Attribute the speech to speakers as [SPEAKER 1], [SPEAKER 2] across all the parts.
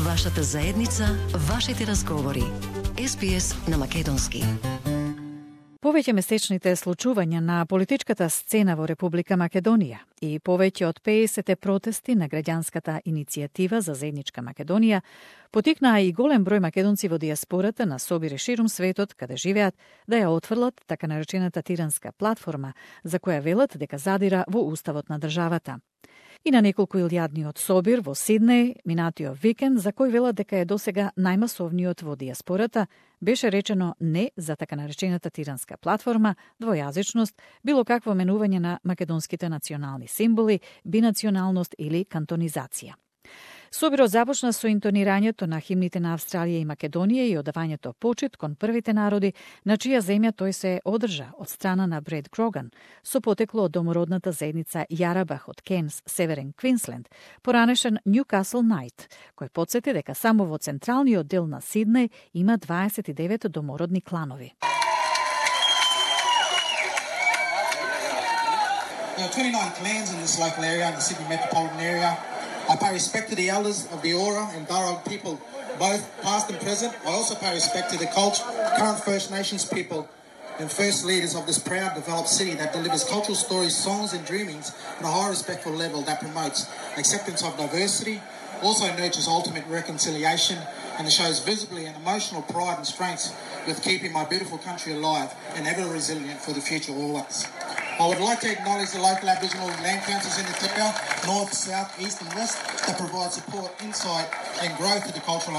[SPEAKER 1] Вашата заедница, вашите разговори. SBS на македонски.
[SPEAKER 2] Повеќе месечните случувања на политичката сцена во Република Македонија и повеќе од 50 протести на граѓанската иницијатива за заедничка Македонија потикнаа и голем број македонци во дијаспората на собири ширум светот каде живеат да ја отфрлат така наречената тиранска платформа за која велат дека задира во уставот на државата. И на неколку илјадниот собир во Сиднеј минатиот викенд, за кој велат дека е досега најмасовниот во дијаспората, беше речено не за така наречената тиранска платформа, двојазичност, било какво менување на македонските национални символи, бинационалност или кантонизација. Собирот започна со интонирањето на химните на Австралија и Македонија и одавањето почит кон првите народи на чија земја тој се одржа од страна на Бред Гроган, со потекло од домородната заедница Јарабах од Кенс, Северен Квинсленд, поранешен Ньюкасл Најт, кој потсети дека само во централниот дел на Сиднеј има 29 домородни кланови.
[SPEAKER 3] There are 29 clans in this local area, in the Sydney metropolitan area. I pay respect to the elders of the Eora and Darug people, both past and present. I also pay respect to the current First Nations people and first leaders of this proud developed city that delivers cultural stories, songs and dreamings at a high respectful level that promotes acceptance of diversity, also nurtures ultimate reconciliation and shows visibly an emotional pride and strength with keeping my beautiful country alive and ever resilient for the future always. I would like to acknowledge the local Aboriginal land councils in the area, north, south, east and west, that provide support, insight and growth to the culture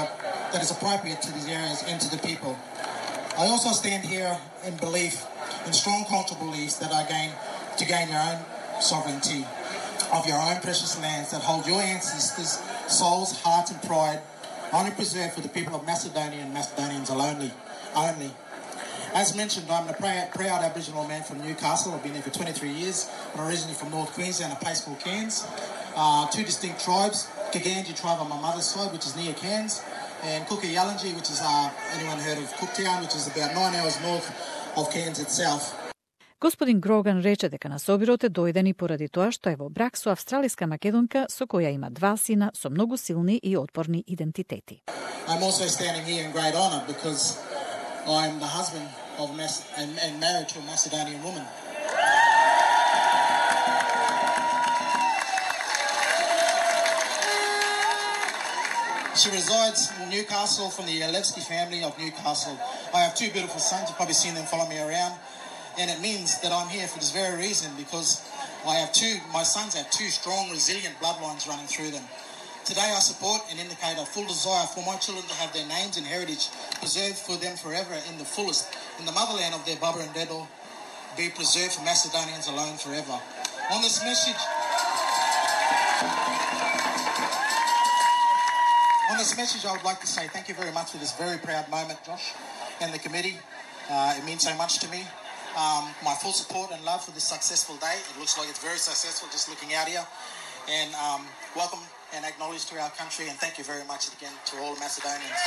[SPEAKER 3] that is appropriate to these areas and to the people. I also stand here in belief, in strong cultural beliefs that are to gain your own sovereignty of your own precious lands that hold your ancestors' souls, hearts and pride, only preserved for the people of Macedonia and Macedonians only. As mentioned, I'm a proud Aboriginal man from Newcastle. I've been here for 23 years. I'm originally from North Queensland, a place called Cairns. Two distinct tribes, Kaganji tribe on my mother's side, which is near Cairns, and Kuku-Yalanji, which is, anyone heard of Cooktown, which is about 9 hours north of Cairns itself.
[SPEAKER 2] Господин Гроган рече дека на собирот е дојден и поради тоа што е во брак со австралиска македонка со која има 2 сина со многу силни и отпорни идентитети.
[SPEAKER 3] I'm also standing here in great honor because I'm the husband of and married to a Macedonian woman. She resides in Newcastle from the Alevsky family of Newcastle. I have 2 beautiful sons. You've probably seen them follow me around. And it means that I'm here for this very reason because my sons have 2 strong, resilient bloodlines running through them. Today I support and indicate a full desire for my children to have their names and heritage preserved for them forever in the fullest, in the motherland of their Baba and Dedo, be preserved for Macedonians alone forever. On this message, I would like to say thank you very much for this very proud moment, Josh, and the committee. It means so much to me. My full support and love for this successful day. It looks like it's very successful just looking out here. And welcome and acknowledge to our country, and thank you very much again to all Macedonians.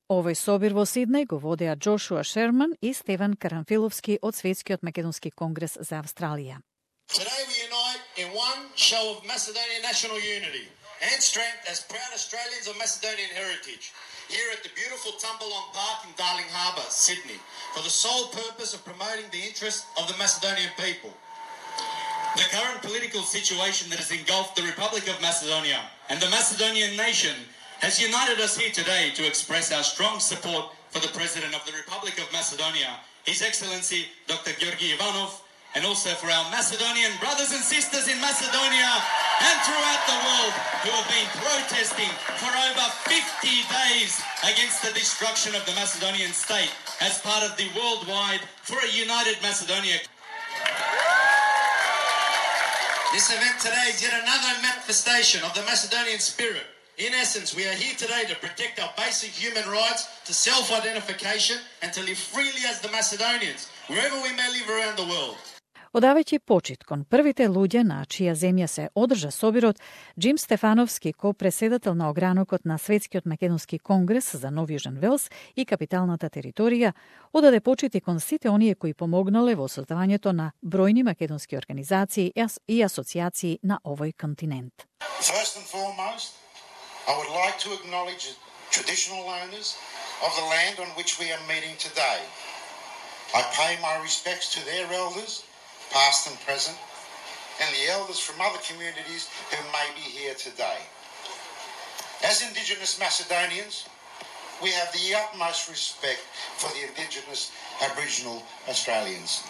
[SPEAKER 2] Овој собир во Сиднеј го водеа Джошуа Шерман и Стеван Карамфиловски од Светскиот македонски конгрес за Австралија.
[SPEAKER 4] Today we unite in one show of Macedonian national unity and strength as proud Australians of Macedonian heritage here at the beautiful Tumbalong Park in Darling Harbour, Sydney, for the sole purpose of promoting the interests of the Macedonian people. The current political situation that has engulfed the Republic of Macedonia and the Macedonian nation has united us here today to express our strong support for the President of the Republic of Macedonia, His Excellency Dr. Georgi Ivanov, and also for our Macedonian brothers and sisters in Macedonia and throughout the world who have been protesting for over 50 days against the destruction of the Macedonian state as part of the Worldwide for a United Macedonia. This event today is yet another manifestation of the Macedonian spirit. In essence, we are here today to protect our basic human rights to self-identification and to live freely as the Macedonians, wherever we may live around the world.
[SPEAKER 2] Одавајќи почит кон првите луѓе на чија земја се одржа собирот, Джим Стефановски, ко-преседател на огранокот на Светскиот македонски конгрес за Нов Јужен Велс и капиталната територија, одаде почит и кон сите оние кои помогнале во создавањето на бројни македонски организации и асоциации на овој континент.
[SPEAKER 4] First and foremost, I would like to acknowledge the traditional owners of the land on which we are meeting today. I pay my respects to their elders, past and present, and the elders from other communities who may be here today. As Indigenous Macedonians, we have the utmost respect for the Indigenous Aboriginal Australians.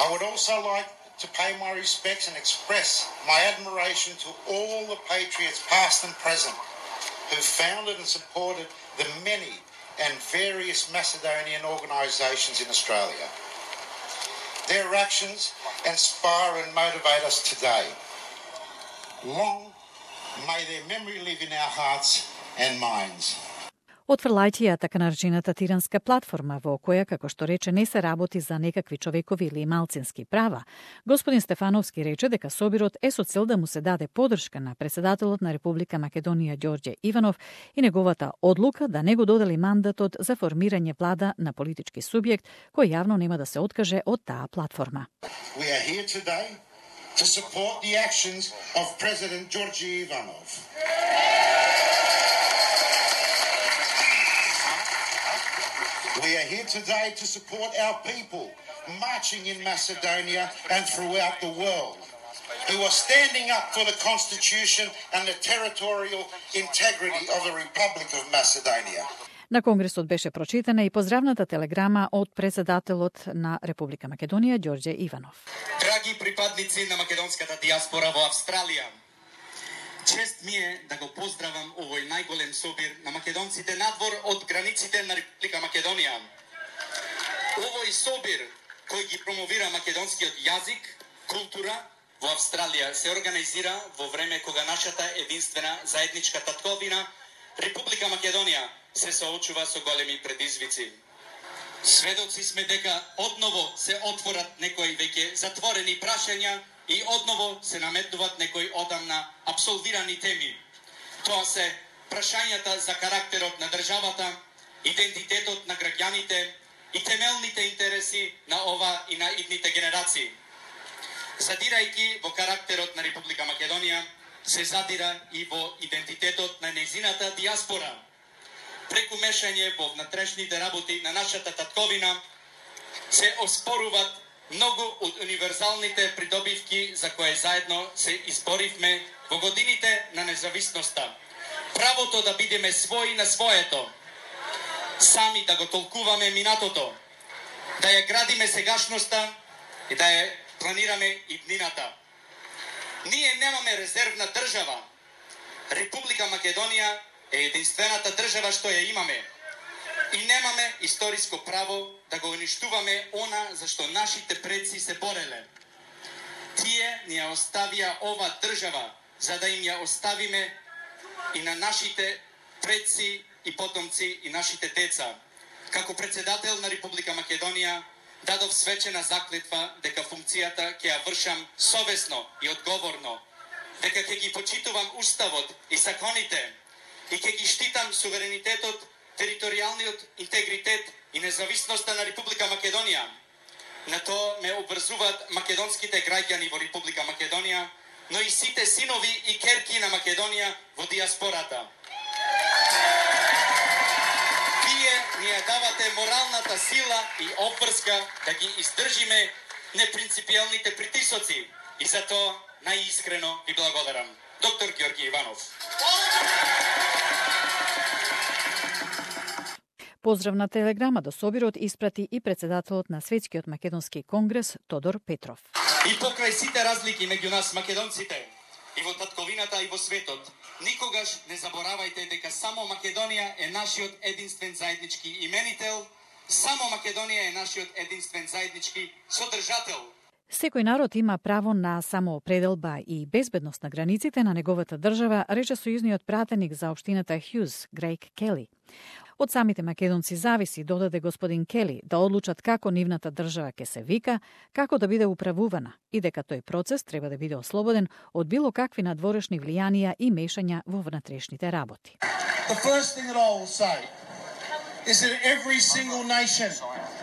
[SPEAKER 4] I would also like to pay my respects and express my admiration to all the patriots past and present who founded and supported the many and various Macedonian organisations in Australia. Their actions inspire and motivate us today. Long may their memory live in our hearts and minds.
[SPEAKER 2] Отфрлајќи ја така наречената тиранска платформа, во која, како што рече, не се работи за некакви човекови или малцински права, господин Стефановски рече дека собирот е со цел да му се даде поддршка на председателот на Република Македонија Ѓорѓе Иванов и неговата одлука да не го додели мандатот за формирање влада на политички субјект кој јавно нема да се откаже од таа платформа.
[SPEAKER 4] We are here today to support the actions of President Ѓорѓe Иванов. We are here today to support our people marching in Macedonia and throughout the world, who are standing up for the Constitution and the territorial integrity of the Republic of Macedonia.
[SPEAKER 2] На Конгресот беше прочитана и поздравната телеграма од председателот на Република Македонија Ѓорѓе Иванов.
[SPEAKER 5] Драги припадници на македонската диаспора во Австралија, чест ми е да го поздравам овој најголем собир на македонците надвор од границите на Република Македонија. Овој собир кој ги промовира македонскиот јазик, култура во Австралија се организира во време кога нашата единствена заедничка татковина Република Македонија се соочува со големи предизвици. Сведоци сме дека одново се отворат некои веќе затворени прашања и одново се наметнуваат некои одамна апсолвирани теми. Тоа се прашањата за карактерот на државата, идентитетот на граѓаните и темелните интереси на ова и на идните генерации. Задирајќи во карактерот на Република Македонија, се задира и во идентитетот на нејзината диаспора. Преку мешање во внатрешните работи на нашата татковина се оспоруваат многу од универзалните придобивки за кои заедно се изборивме во годините на независноста. Правото да бидеме своји на своето, сами да го толкуваме минатото, да ја градиме сегашноста и да ја планираме иднината. Ние немаме резервна држава. Република Македонија е единствената држава што ја имаме. И немаме историско право да го уништуваме она за што нашите предци се бореле. Тие ни ја оставија ова држава за да им ја оставиме и на нашите предци и потомци и нашите деца. Како председател на Република Македонија дадов свечена заклетва дека функцијата ќе ја вршам совесно и одговорно, дека ќе ги почитувам уставот и законите и ќе ги штитам суверенитетот, територијалниот интегритет и независноста на Република Македонија. На тоа ме обврзуваат македонските граѓани во Република Македонија, но и сите синови и керки на Македонија во диаспората. Вие ни ја давате моралната сила и обврска да ги издржиме непринципијалните притисоци и за тоа најискрено ви благодарам. Доктор Ѓорѓе Иванов.
[SPEAKER 2] Поздравна телеграма до собирот испрати и председателот на Светскиот македонски конгрес Тодор Петров.
[SPEAKER 5] И покрај сите разлики меѓу нас македонците, и во татковината и во светот, никогаш не заборавајте дека само Македонија е нашиот единствен заеднички именител, само Македонија е нашиот единствен заеднички содржател.
[SPEAKER 2] Секој народ има право на самоопределба и безбедност на границите на неговата држава, рече сојузниот пратеник за општината Хјуз, Грејг Кели. Од самите македонци зависи, додаде господин Кели, да одлучат како нивната држава ќе се вика, како да биде управувана и дека тој процес треба да биде ослободен од било какви надворешни влијанија и мешања во внатрешните работи.
[SPEAKER 3] The first thing that I will say is that every single nation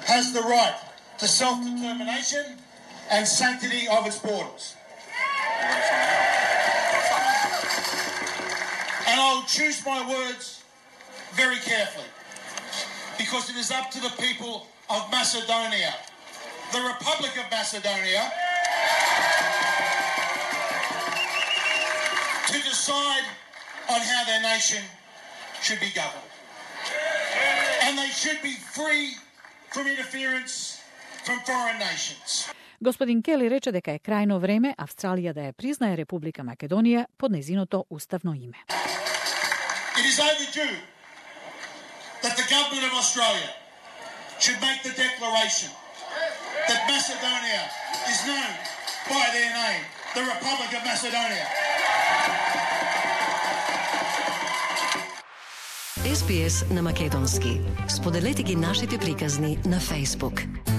[SPEAKER 3] has the right to self-determination and sanctity of its borders. And I'll choose my words very carefully, because it is up to the people of Macedonia, the Republic of Macedonia, to decide on how their nation should be governed. And they should be free from interference from foreign nations.
[SPEAKER 2] Господин Кели рече дека е крајно време Австралија да ја признае Република Македонија под нејзиното уставно име.
[SPEAKER 3] It is overdue that the government of Australia should make the declaration that Macedonia is known by their name, the Republic of Macedonia.
[SPEAKER 1] SBS на македонски. Споделете ги нашите приказни на Facebook.